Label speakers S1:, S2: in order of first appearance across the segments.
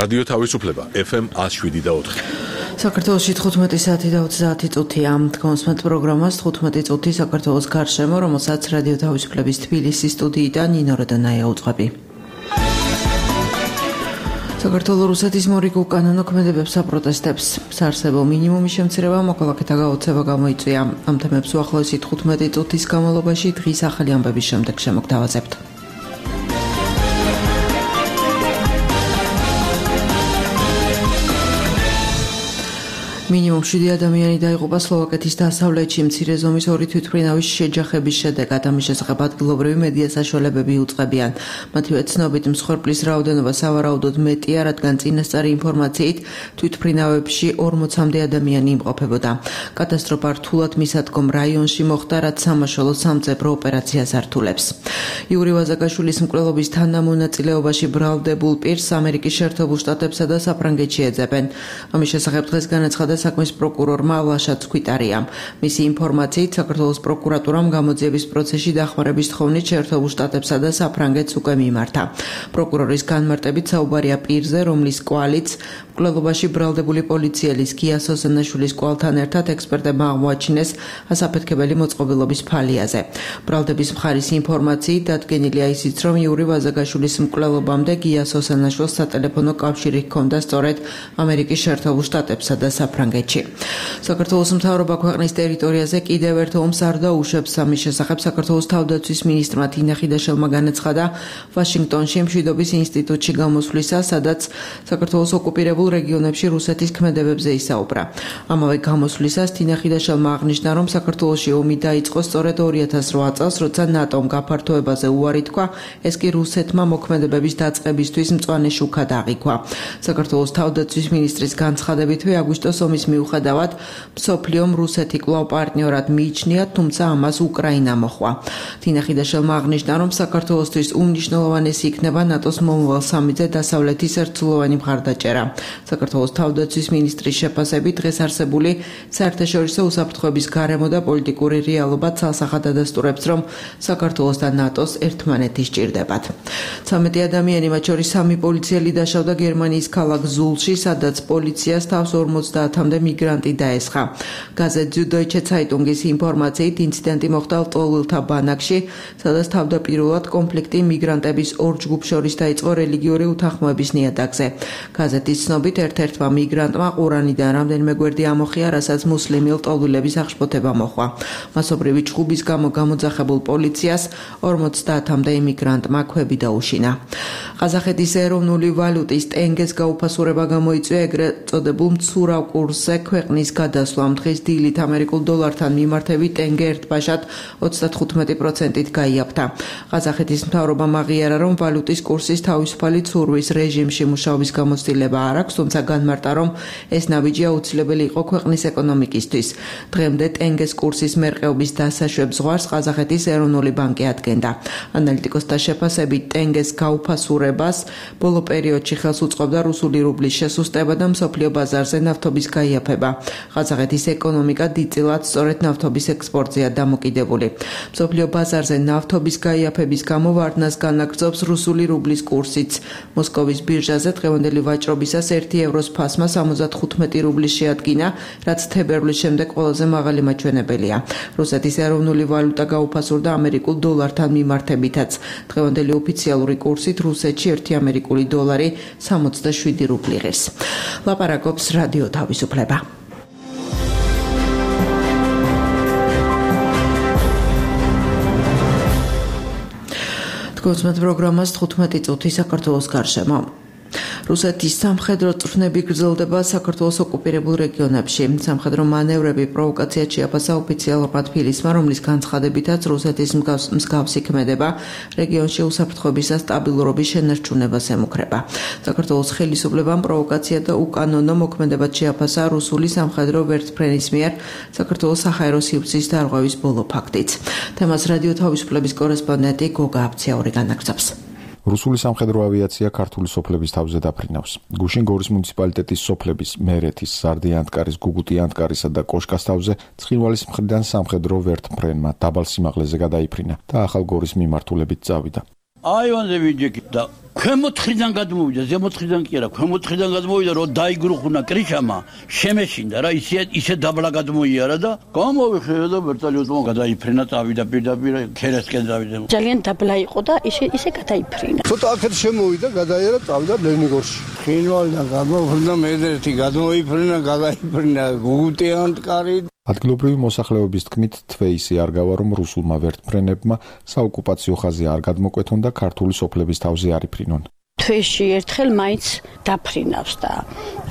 S1: რადიო თავისუფლება FM 107.4.
S2: საქართველოში 15 საათი და 30 წუთია. თქვენს პროგრამას 15 წუთი საქართველოს გარშემო, რომელსაც რადიო თავისუფლების თბილისის სტუდიიდან ნინო როდონაია უძღვები. საქართველოს რუსეთის მორიგულ კანონო ქმედებებს აპროტესტებს. საარსებო მინიმუმის შემცირება მოქალაქეთა გაოცება გამოიწვია. ამ თემებს უახლოესი 15 წუთის განმავლობაში დღის ახალი ამბების შემდეგ შემოგთავაზებთ. მინიმუმ 7 ადამიანი დაიღუპა სლოვაკეთის დასავლეთში მცირე ზომის 2 თვითმფრინავის შეჯახების შედეგად. ამის შესახებ ადგილობრივი მედია საშუალებები უწყებიან. მათივე ცნობით მსხვერპლის რაოდენობა სავარაუდოდ მეტია, რადგან წინასწარი ინფორმაციით თვითმფრინავებში 40-მდე ადამიანი იმყოფებოდა. კატასტროფა რთულად მისადგომ რაიონში მოხდა, რაც სამაშველო სამძებრო ოპერაციას ართულებს. იური ვაზაკაშვილის მკვლელობის თანამონაწილეობაში ბრალდებულ პირს ამერიკის შეერთებულ შტატებსა და საფრანგეთში ეძებენ. ამის შესახებ დღეს განაცხადა საქმის პროკურორმა ვლაშაც ქვითარიამ. მისი ინფორმაციით საქართველოს პროკურატურამ გამოძიების პროცესში დახმარების თხოვნით შეერთებულ შტატებსა და საფრანგეთს უკვე მიმართა. პროკურორის განმარტებით საუბარია პირზე, რომლის კვალიც მკვლელობაში ბრალდებული პოლიციელის გია სოსანაშვილის კვალთან ერთად ექსპერტებმა აღმოაჩინეს ასაფეთქებელი მოწყობილობის ფალიაზე. ბრალდების მხარის ინფორმაციით დადგენილია ისიც, რომ იური ვაზაგაშვილის მკვლელობამდე გია სოსანაშვილს სატელეფონო კავშირი ჰქონდა სწორედ ამერიკის შეერთებულ შტატებსა და საფრანგეთში. საქართველოს მთავრობა ქვეყნის ტერიტორიაზე კიდევ ერთ ომს არ დაუშვებს. ამის შესახებ საქართველოს თავდაცვის მინისტრმა თინა ხიდაშელმა განაცხადა ვაშინგტონში მშვიდობის ინსტიტუტში გამოსვლისას, სადაც საქართველოს ოკუპირებულ რეგიონებში რუსეთის ქმედებებზე ისაუბრა. ამავე გამოსვლისას თინა ხიდაშელმა აღნიშნა, რომ საქართველოში ომი დაიწყო სწორედ 2008 წელს, როცა ნატომ გაფართოებაზე უარი თქვა, ეს კი რუსეთმა მოქმედებების დაწყებისთვის მწვანე შუქად აღიქვა. საქართველოს თავდაცვის მინისტრის განცხადებითვე აგვისტოს ომის მიუხედავად მსოფლიომ რუსეთი კვლავ პარტნიორად მიიჩნია, თუმცა ამას უკრაინა მოჰყვა. თინა ხიდაშელმა აღნიშნა, რომ საქართველოსთვის უმნიშვნელოვანესი იქნება ნატოს მომავალ სამიზე დასავლეთის ერთსულოვანი მხარდაჭერა. საქართველოს თავდაცვის მინისტრის შეფასებით დღეს არსებული საერთაშორისო უსაფრთხოების გარემო და პოლიტიკური რეალობა ცალსახად ადასტურებს, რომ საქართველოს და ნატოს ერთმანეთი სჭირდებათ. 13 ადამიანი, მათ შორის 3 პოლიციელი დაშავდა გერმანიის ქალაქ ზულში, სადაც პოლიციას თავს 50-მდე მიგრანტი დაესხა. გაზეთ Süddeutsche Zeitungის ინფორმაციით ინციდენტი მოხდა ლტოლვილთა ბანაკში, სადაც თავდაპირველად კონფლიქტი მიგრანტების ორ ჯგუფს შორის დაიწყო რელიგიური უთანხმოების ნიადაგზე. გაზეთის ცნობით ერთ-ერთმა მიგრანტმა ყურანიდან რამდენიმე გვერდი ამოხია, რასაც მუსლიმი ლტოლვილების აღშფოთება მოჰყვა. მასობრივი ჩხუბის გამო გამოძახებულ პოლიციას 50-მდე იმიგრანტმა ქვები დაუშინა. ყაზახეთის ეროვნული ვალუტის ტენგეს გაუფასურება გამოიწვია ეგრეთ წოდებულ მცურავ კურსზე ქვეყნის გადასვლამ. დღეს დილით ამერიკულ დოლართან მიმართებით ტენგე ერთბაშად 35%-ით გაიაფთა. ყაზახეთის მთავრობამ აღიარა, რომ ვალუტის კურსის თავისუფალი ცურვის რეჟიმში მუშაობის გამოცდილება არ აქვს, თუმცა განმარტა, რომ ეს ნაბიჯი აუცილებელი იყო ქვეყნის ეკონომიკისთვის. დღემდე ტენგეს კურსის მერყეობის დასაშვებ ზღვარს ყაზახეთის ეროვნული ბანკი ადგენდა. ანალიტიკოსთა შეფასებით ტენგეს გაუფასურებას ბოლო პერიოდში ხელს უწყობდა რუსული რუბლის შესუსტება და მსოფლიო ბაზარზე ნავთობის გაიაფება. ყაზახეთის ეკონომიკა დიდწილად სწორედ ნავთობის ექსპორტზეა დამოკიდებული. მსოფლიო ბაზარზე ნავთობის გაიაფების გამო ვარდნას განაგრძობს რუსული რუბლის კურსიც. მოსკოვის ბირჟაზე დღევანდელი ვაჭრობისას 1 ევროს ფასმა 75 რუბლის შეადგინა, რაც თებერვლის შემდეგ ყველაზე მაღალი მაჩვენებელია. რუსეთის ეროვნული ვალუტა გაუფასურდა ამერიკულ დოლართან მიმართებითაც. დღევანდელი ოფიციალური კურსით რუსეთში 1 ამერიკული დოლარი 67 რუბლი ღირს. ლაპარაკობს რადიო თავისუფლება. თქვენს პროგრამას 15 წუთი საქართველოს გარშემო. რუსეთის სამხედრო წვრთნები გრძელდება საქართველოს ოკუპირებულ რეგიონებში. სამხედრო მანევრები პროვოკაციად შეაფასა ოფიციალურმა თბილისმა, რომლის განცხადებითაც რუსეთის მსგავსი ქმედება რეგიონში უსაფრთხოების და სტაბილურობის შენარჩუნებას ემუქრება. საქართველოს ხელისუფლებამ პროვოკაცია და უკანონო მოქმედებად შეაფასა რუსული სამხედრო ვერტმფრენის მიერ საქართველოს საჰაერო სივრცის დარღვევის ბოლო ფაქტიც. თემას რადიო თავისუფლების კორესპონდენტი გოგა აბციაური განაგრძობს.
S3: რუსული სამხედრო ავიაცია ქართული სოფლების თავზე დაფრინავს. გუშინ გორის მუნიციპალიტეტის სოფლების მერეთის, სარდე-ანტკარის, გუგუტი-ანტკარისა და კოშკას თავზე ცხინვალის მხრიდან სამხედრო ვერტმფრენმა დაბალ სიმაღლეზე გადაიფრინა და ახალგორის მიმართულებით წავიდა.
S4: აივანზე ვიჯექით და ქვემოთხრიდან გადმოვიდა, ზემოთხრიდან კი არა, ქვემოთხრიდან გადმოვიდა, რომ დაიგრუხუნა კრიშამა, შემეშინდა რა, ისე დაბლა გადმოიარა და გამოვიხეა და ვერტალიოტმა გადაიფრენა, წავიდა პირდაპირ ქერესკენ წავიდა.
S5: ძალიან დაბლა იყო და ისე გადაიფრინა.
S6: ცოტა აქეთ შემოვიდა, გადაიარა, წავიდა ლენიგორში.
S4: ხინვალიდან გამოვიდა, მედერთი გადაიფრენა გუგუტი ანტკარი.
S3: ადგილობრივი მოსახლეობის თქმით, თვეისი არ გავა, რომ რუსულმა ვერტმფრენებმა საოკუპაციო ხაზი არ გადმოკვეთონ და ქართული სოფლების თავზე არ იფრინონ.
S5: თვეში ერთხელ მაინც დაფრინავს და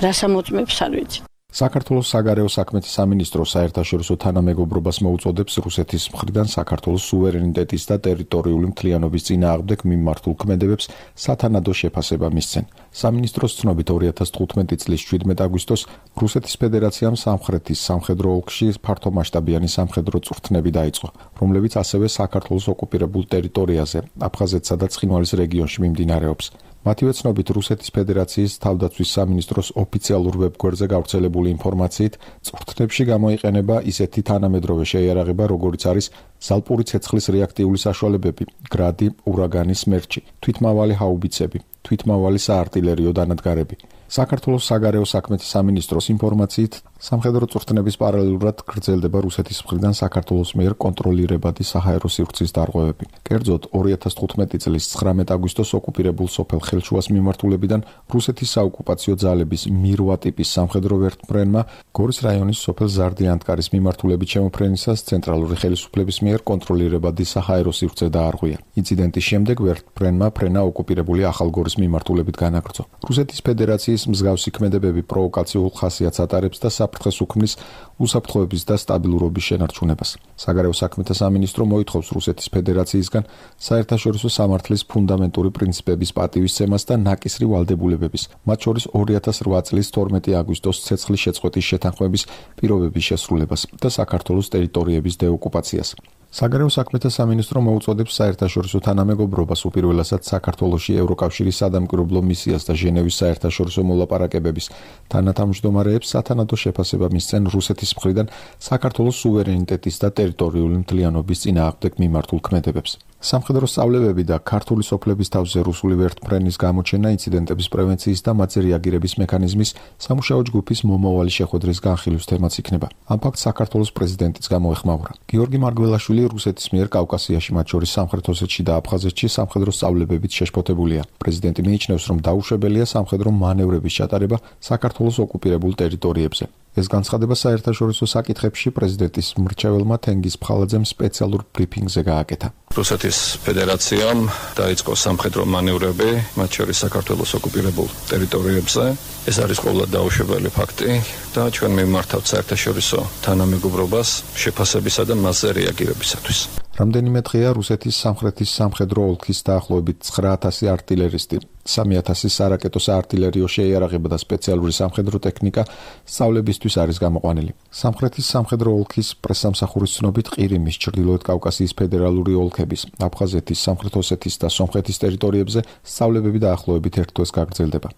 S5: რას ამოწმებს არ ვიცი.
S3: საქართველოს საგარეო საქმეთა სამინისტრო საერთაშორისო თანამეგობრობას მოუწოდებს რუსეთის მხრიდან საქართველოს სუვერენიტეტის და ტერიტორიული მთლიანობის წინააღმდეგ მიმართულ ქმედებებს სათანადო შეფასება მისცენ. სამინისტროს ცნობით 2015 წლის 17 აგვისტოს რუსეთის ფედერაციამ სამხრეთის სამხედრო ოლქში ფართომასშტაბიანი სამხედრო წვრთნები დაიწყო, რომლებიც ასევე საქართველოს ოკუპირებულ ტერიტორიაზე, აფხაზეთსა და ცხინვალის რეგიონში მიმდინარეობს. მათივე ცნობით რუსეთის ფედერაციის თავდაცვის სამინისტროს ოფიციალურ ვებგვერდზე გავრცელებული ინფორმაციით, წვრთნებში გამოიყენება ისეთი თანამედროვე შეიარაღება, როგორიც არის ზალპური ცეცხლის რეაქტიული საშუალებები, გრადი, ურაგანი, სმერჩი, თვითმავალი ჰაუბიცები, თვითმავალი საარტილერიო დანადგარები. საქართველოს საგარეო საქმეთა სამინისტროს ინფორმაციით, სამხედრო წვრთნების პარალელურად გრძელდება რუსეთის მხრიდან საქართველოს მიერ კონტროლირებადი საჰაერო სივრცის დარღვევები. კერძოდ, 2015 წლის 19 აგვისტოს ოკუპირებულ სოფელ ხელშუას მიმართულებიდან რუსეთის საოკუპაციო ძალების მირვა ტიპის სამხედრო ვერტმფრენმა გორის რაიონის სოფელ ზარდიანტკარის მიმართულებით შემოფრენისას ცენტრალური ხელისუფლების მიერ კონტროლირებადი საჰაერო სივრცე დაარღვია. ინციდენტის შემდეგ ვერტმფრენმა ფრენა ოკუპირებული ახალგორის მიმართულებით განაგრძო. რუსეთის ფედერაციის მსგავსი ქმედებები პროვოკაციულ ხასიათს ატარებს და საფრთხეს უქმნის უსაფრთხოების და სტაბილურობის შენარჩუნებას. საგარეო საქმეთა სამინისტრო მოითხოვს რუსეთის ფედერაციისგან საერთაშორისო სამართლის ფუნდამენტური პრინციპების პატივისცემას და ნაკისრი ვალდებულებების, მათ შორის 2008 წლის 12 აგვისტოს ცეცხლის შეწყვეტის შეთანხმების პირობების შესრულებას და საქართველოს ტერიტორიების დეოკუპაციას. საგარეო საქმეთა სამინისტრო მოუწოდებს საერთაშორისო თანამეგობრობას უპირველესად საქართველოში ევროკავშირის სადამკვირვებლო მისიას და ჟენევის საერთაშორისო მოლაპარაკებების თანათავმჯდომარეებს სათანადო შეფასება მისცენ რუსეთის მხრიდან საქართველოს სუვერენიტეტის და ტერიტორიული მთლიანობის წინააღმდეგ მიმართულ ქმედებებს. სამხედრო სწავლებები და ქართული სოფლების თავზე რუსული ვერტმფრენის გამოჩენა ინციდენტების პრევენციის და მათზე რეაგირების მექანიზმის სამუშაო ჯგუფის მომავალი შეხვედრის განხილვის თემაც იქნება. ამ ფაქტს საქართველოს პრეზიდენტიც გამოეხმაურა. გიორგი მარგველაშვილი რუსეთის მიერ კავკასიაში, მათ შორის სამხრეთ ოსეთში და აფხაზეთში სამხედრო სწავლებებით შეშფოთებულია. პრეზიდენტი მიიჩნევს, რომ დაუშვებელია სამხედრო მანევრების ჩატარება საქართველოს ოკუპირებულ ტერიტორიებზე. ეს განცხადება საერთაშორისო საკითხებში პრეზიდენტის მრჩეველმა თენგიზ ფხალაძემ სპეციალურ ბრიფინგზე გააკეთა.
S7: რუსეთის ფედერაციამ დაიწყო სამხედრო მანევრები, მათ შორის საქართველოს ოკუპირებულ ტერიტორიებზე. ეს არის ყოველად დაუშვებელი ფაქტი და ჩვენ მიმართავთ საერთაშორისო თანამეგობრობას შეფასებისა და მასზე რეაგირებისათვის.
S3: რამდენიმე დღეა რუსეთის სამხრეთის სამხედრო ოლქის დაახლოებით 9000 артиლერისტი, 3000 სარაკეტო საარტილერიო შეიარაღება და სპეციალური სამხედრო ტექნიკა სწავლებისთვის არის გამოყვანილი. სამხრეთის სამხედრო ოლქის პრესსამსახურის ცნობით ყირიმის, ჩრდილოეთ კავკასიის ფედერალური ოლქების, აფხაზეთის, სამხრეთ ოსეთის და სომხეთის ტერიტორიებზე სწავლებები დაახლოებით ერთ თვეს გაგრძელდება.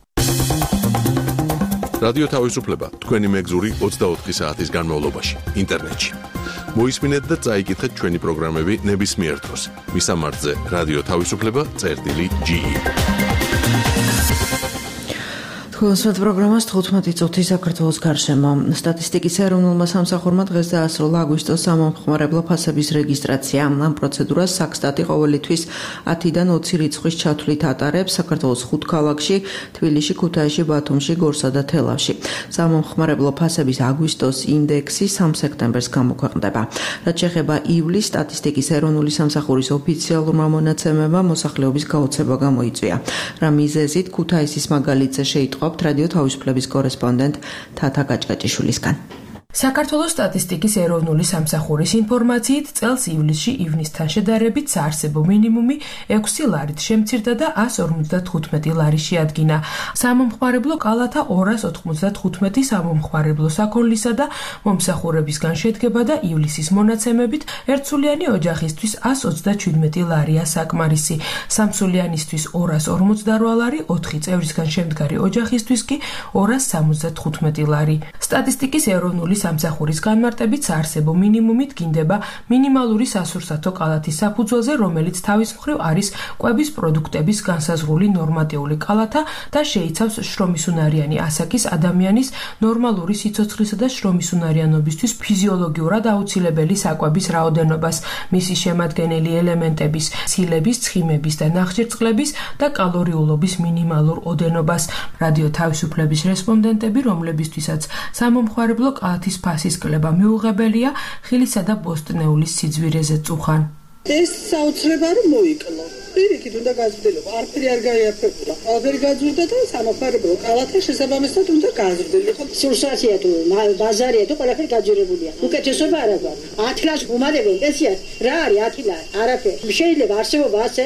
S1: რადიო თავისუფლება თქვენი მეგზური 24 საათის განმავლობაში ინტერნეტში. მოისმინეთ და წაიკითხეთ ჩვენი პროგრამები ნებისმიერ დროს. მისამართზე რადიო თავისუფლება.ge.
S2: Ხოლოსმეთ პროგრამას 15 წუთი საქართველოს გარშემო. სტატისტიკის ეროვნულმა სამსახურმა დღეს დაასრულა აგვისტოს სამომხმარებლო ფასების რეგისტრაცია. ამ პროცედურას საქსტატი ყოველი თვის 10-დან 20 რიცხვის ჩათვლით ატარებს საქართველოს 5 ქალაქში, თბილისში, ქუთაისში, ბათუმში, გორსა და თელავში. სამომხმარებლო ფასების აგვისტოს ინდექსი 3 სექტემბერს გამოქვეყნდება. რაც შეეხება ივლისს, სტატისტიკის ეროვნული სამსახურის ოფიციალურმა მონაცემებმა მოსახლეობის გაოცება გამოიწვია. რა მიზეზით ქუთაისის მაგალითზე შეიტყო რადიო თავისუფლების კორესპონდენტ თათა გაჭკაჭიშვილისგან.
S8: საქართველოს სტატისტიკის ეროვნული სამსახურის ინფორმაციით წელს ივლისში ივნისთან შედარებით საარსებო მინიმუმი 6 ლარით შემცირდა და 155 ლარი შეადგინა. სამომხმარებლო კალათა 295 სამომხმარებლო საქონლისა და მომსახურებისგან შედგება და ივლისის მონაცემებით ერთსულიანი ოჯახისთვის 127 ლარია საკმარისი. სამსულიანისთვის 248 ლარი, 4 წევრისგან შემდგარი ოჯახისთვის კი 275 ლარი. სტატისტიკის ეროვნული სამსახურის განმარტებით საარსებო მინიმუმით გინდება მინიმალური სასურსათო კალათის საფუძველზე, რომელიც თავის მხრივ არის კვების პროდუქტების განსაზღვრული ნორმატიული კალათა და შეიცავს შრომისუნარიანი ასაკის ადამიანის ნორმალური სიცოცხლისა და შრომისუნარიანობისთვის ფიზიოლოგიურად აუცილებელი საკვების რაოდენობას, მისი შემადგენელი ელემენტების, ცილების, ცხიმების და ნახშირწყლების და კალორიულობის მინიმალურ ოდენობას. რადიო თავისუფლების რესპონდენტები, რომლებისთვისაც სამომხმარებლო კალათის ფასის კლება მიუღებელია, ხილისა და ბოსტნეულის სიძვირეზე წუხან.
S9: ეს საოცრება რომ მოიკლო. პირიქით უნდა გაზრდილიყო, არაფერი არ გაიაფებულა. ყველაფერი გაძვირდა და სამომხმარებლო კალათა შესაბამისად უნდა გაზრდილიყო.
S5: სურსათია თუ ბაზარია თუ ყველაფერი გაძვირებულია. უკეთესობა არა გვაქვს. 10 ლარს უმადებენ პენსიას. რა არის 10 ლარი? არაფერი. შეიძლება არსებობა ასე?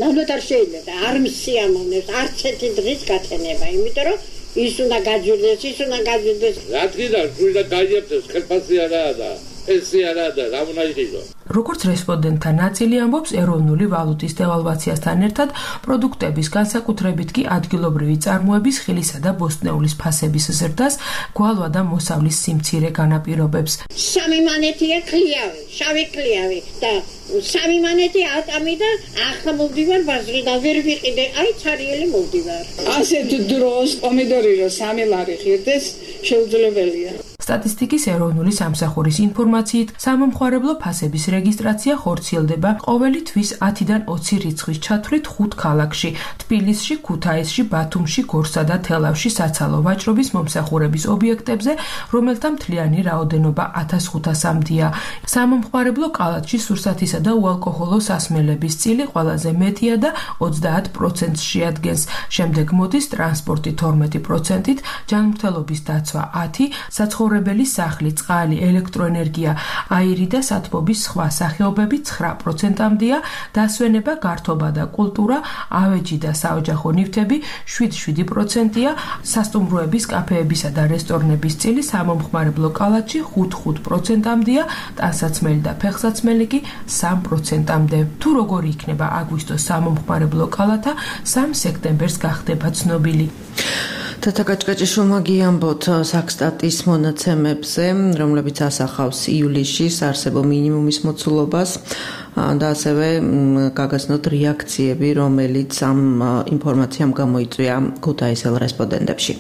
S5: ნამდვილად არ შეიძლება. არ მსიამოვნებს, არც ერთი დღის გათენება, იმიტომ რომ ის უნდა გაძვირდეს, ის უნდა გაძვირდეს.
S10: რა თქმა უნდა, გაიაფებს, ხელფასი არაა და პენსია არაა და რა უნდა იყიდო.
S8: როგორც რესპონდენტთა ნაწილი ამბობს, ეროვნული ვალუტის დევალვაციასთან ერთად პროდუქტების, განსაკუთრებით კი ადგილობრივი წარმოების, ხილისა და ბოსტნეულის ფასების ზრდას გვალვა და მოსავლის სიმცირე განაპირობებს.
S5: 3 მანეთია ქლიავი, შავი ქლიავი და 3 მანეთი ატამი და ახლა მოვდივარ ბაზრიდან, ვერ ვიყიდე, აი ცარიელი მოვდივარ.
S9: ასეთ დროს პომიდორი რო 3 ლარი ღირდეს, შეუძლებელია.
S8: სტატისტიკის ეროვნული სამსახურის ინფორმაციით, სამომხმარებლო ფასების რეგისტრაცია ხორციელდება ყოველი თვის 10-დან 20 რიცხვის ჩათვლით 5 ქალაქში: თბილისში, ქუთაისში, ბათუმში, გორსა და თელავში საცალო ვაჭრობის მომსახურების ობიექტებზე, რომელთა მთლიანი რაოდენობა 1500-მდეა. სამომხმარებლო კალათში სურსათისა და უალკოჰოლო სასმელების წილი ყველაზე მეტია და 30%-ს შეადგენს. შემდეგ მოდის ტრანსპორტი 12%-ით, ჯანმრთელობის დაცვა 10%, საცხოვრებელი სახლი, წყალი, ელექტროენერგია, აირი და სათბობის სხვა სახეობები 9%-მდეა, დასვენება, გართობა და კულტურა, ავეჯი და საოჯახო ნივთები 7%-ია, სასტუმროების, კაფეებისა და რესტორნების წილი სამომხმარებლო კალათში 5%-მდეა, ტანსაცმელი და ფეხსაცმელი კი 3%-მდე. თუ როგორი იქნება აგვისტოს სამომხმარებლო კალათა, 3 სექტემბერს გახდება ცნობილი.
S2: თათა კაჭკაჭიშვილმა გიამბოთ საქსტატის მონაცემებზე, რომლებიც ასახავს ივლისში საარსებო მინიმუმის მოცულობას და ასევე გაგაცნოთ რეაქციები, რომელიც ამ ინფორმაციამ გამოიწვია ქუთაისელ რესპონდენტებში.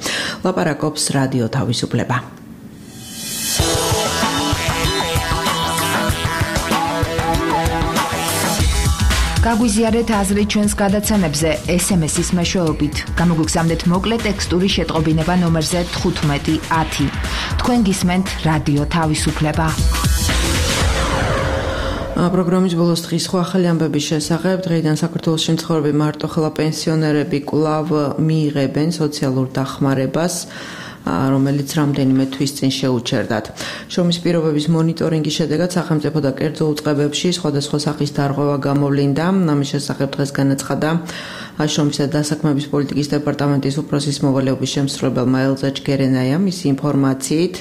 S2: ლაპარაკობს რადიო თავისუფლება.
S11: გაგვიზიარეთ აზრი ჩვენს გადაცემებზე SMS-ის მეშვეობით. გამოგვიგზავნეთ მოკლე ტექსტური შეტყობინება ნომერზე 1510. თქვენ გისმენთ რადიო თავისუფლება.
S2: პროგრამის ბოლოს დღის სხვა ახალი ამბების შესახებ. დღეიდან საქართველოში მცხოვრები მარტოხელა პენსიონერები კვლავ მიიღებენ სოციალურ დახმარებას, რომელიც რამდენიმე თვის წინ შეუჩერდათ. შრომის პირობების მონიტორინგის შედეგად სახელმწიფო და კერძო უწყებებში სხვადასხვა სახის დარღვევა გამოვლინდა. ამის შესახებ დღეს განაცხადა შრომისა და დასაქმების პოლიტიკის დეპარტამენტის უფროსის მოვალეობის შემსრულებელმა ელზა ჯგერენაიამ. მისი ინფორმაციით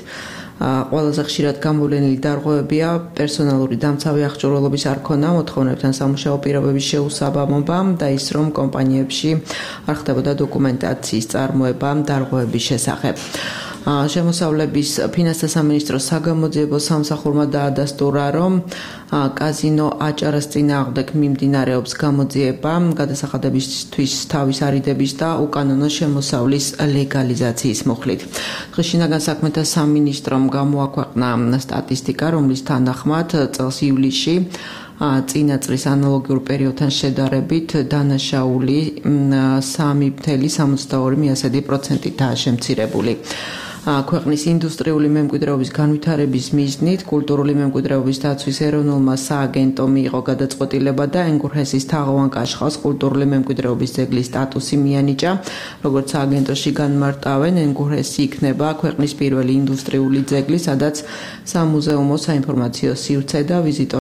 S2: ყველაზე ხშირად გამოვლენილი დარღვევებია პერსონალური დამცავი აღჭურვილობის არ ქონა, მოთხოვნებთან სამუშაო პირობების შეუსაბამობა და ის, რომ კომპანიებში არ ხდებოდა დოკუმენტაციის წარმოება დარღვევების შესახებ. შემოსავლების ფინანსთა სამინისტროს საგამოძიებო სამსახურმა დაადასტურა, რომ კაზინო აჭარას წინააღმდეგ მიმდინარეობს გამოძიება გადასახადებისთვის თავის არიდების და უკანონო შემოსავლის ლეგალიზაციის მოხლით. დღეს შინაგან საქმეთა სამინისტრომ გამოაქვეყნა სტატისტიკა, რომლის თანახმად წელს ივლისში წინა წლის ანალოგიურ პერიოდთან შედარებით დანაშაული 3,62%-აა შემცირებული. ქვეყნის ინდუსტრიული მემკვიდრეობის განვითარების მიზნით კულტურული მემკვიდრეობის დაცვის ეროვნულმა სააგენტომ მიიღო გადაწყვეტილება და ენგურჰესის თაღოვან კაშხალს კულტურული მემკვიდრეობის ძეგლის სტატუსი მიანიჭა. როგორც სააგენტოში განმარტავენ, ენგურჰესი იქნება ქვეყნის პირველი ინდუსტრიული ძეგლი, სადაც სამუზეუმო, საინფორმაციო სივრცე და ვიზიტორ